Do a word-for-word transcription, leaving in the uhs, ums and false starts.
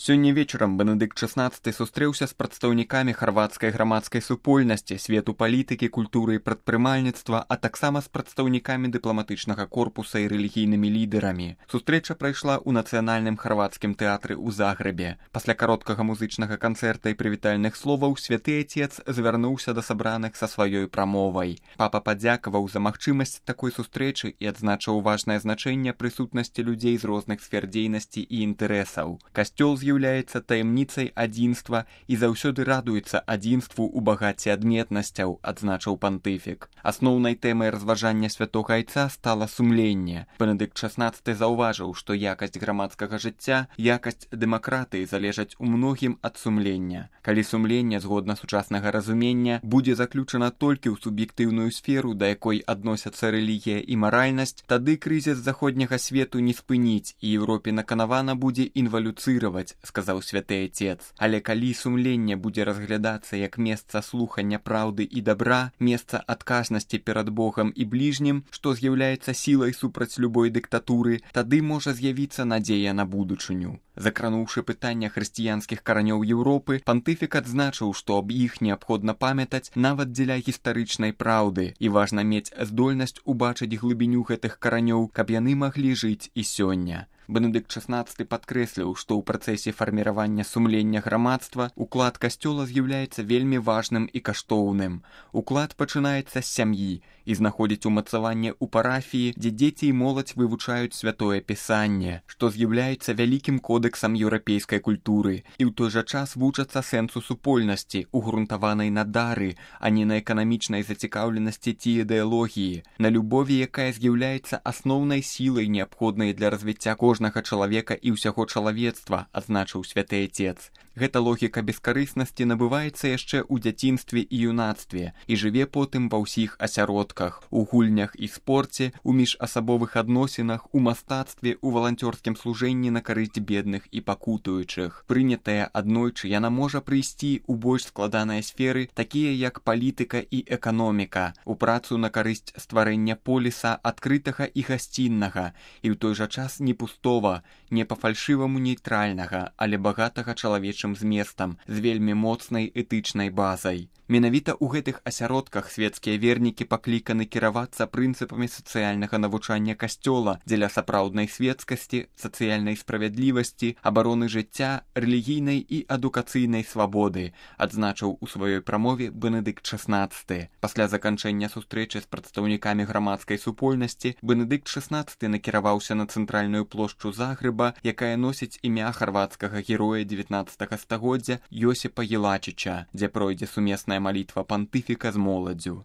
Сёння вечарам Бенедыкт шаснаццаты сустрэўся з прадстаўнікамі харвацкай грамадскай супольнасці, свету палітыкі, культуры і прадпрымальніцтва, а таксама з прадстаўнікамі дыпламатычнага корпуса і рэлігійнымі лідэрамі. Сустрэча прайшла ў нацыянальным харвацкім тэатры ў Загрэбе. Пасля кароткага музычнага канцэрта і прывітальных словаў святы Отец звярнуўся да сабраных са сваёй прамовай. Папа падзякаваў за магчымасць такой сустрэчы і адзначыў важнае значэнне прысутнасці людзей з розных сфер дзейнасці і інтарэсаў. Касцёл з'яўляецца таямніцай адзінства і заўсёды радуецца адзінству ў багаце адметнасцяў, адзначыў пантыфік. Асноўнай тэмай разважання святога Айца стала сумленне. Бенедыкт шаснаццаты заўважыў, што якасць грамадскага жыцця, якасць дэмакратыі залежаць у многім ад сумлення. Калі сумленне, згодна сучаснага разумення, будзе заключана толькі ў суб'ектыўную сферу, да якой адносяцца рэлігія і маральнасць, тады крызіс заходняга свету не спыніць і Еўропе наканавана будзе інвалюцыраваць, сказаў святы Отец. Але калі сумленне будзе разглядацца як месца слухання праўды і добра, месца адказнасці перад Богам і бліжнім, што з'яўляецца сілай супраць любой дыктатуры, тады можа з'явіцца надзея на будучыню. Закрануўшы пытання хрысціянскіх каранёў Еўропы, пантыфік адзначыў, што аб іх неабходна памятаць нават дзеля гістарычнай праўды, і важна мець здольнасць убачыць глыбіню гэтых каранёў, каб яны маглі жыць і сёння. Бенедыкт шаснаццаты падкрэсліў, што ў працэсе фарміравання сумлення грамадства уклад касцёла з'яўляецца вельмі важным і каштоўным. Уклад пачынаецца з сям'і і знаходзіць умацаванне ў парафіі, дзе дзеці і моладзь вывучаюць святое пісанне, што з'яўляецца вялікім кодэксам еўрапейскай культуры, і ў той жа час вучацца сэнсу супольнасці, угрунтаванай на дары, а не на эканамічнай зацікаўленасці ці ідэалогіі, на любові, якая з'яўляецца асноўнай сілай, неабходнай для развіцця кожнага чалавека і ўсяго чалавецтва, адзначыў святы Отец. Гэта логіка бескарыснасці набываецца яшчэ ў дзяцінстве і юнацтве і жыве потым ва ўсіх асяродках, у гульнях і спорце, у міжасабовых адносінах, у мастацтве, у валанцёрскім служэнні на карысць бедных і пакутуючых. Прынятая аднойчы, яна можа прыйсці ў больш складаныя сферы, такія як палітыка і эканоміка, у працу на карысць стварэння поліса адкрытага і гасціннага, і ў той жа час не пустова, не па-фальшываму нейтральнага, але багатага чалавечым зместам, з вельмі моцнай этычнай базай. Менавіта ў гэтых асяродках свецкія вернікі пакліканы кіравацца прынцыпамі сацыяльнага навучання касцёла дзеля сапраўднай свецкасці, сацыяльнай справядлівасці, абароны жыцця, рэлігійнай і адукацыйнай свабоды, адзначыў у сваёй прамове Бенедыкт шаснаццаты. Пасля заканчэння сустрэчы з прадстаўнікамі грамадскай супольнасці Бенедыкт шаснаццаты накіраваўся на цэнтральную плошчу Загрэба, якая носіць імя харвацкага героя дзевятнаццатага стагоддзя Йосіпа Елачыча, дзе пройдзе сумесная малітва пантыфіка з моладдзю.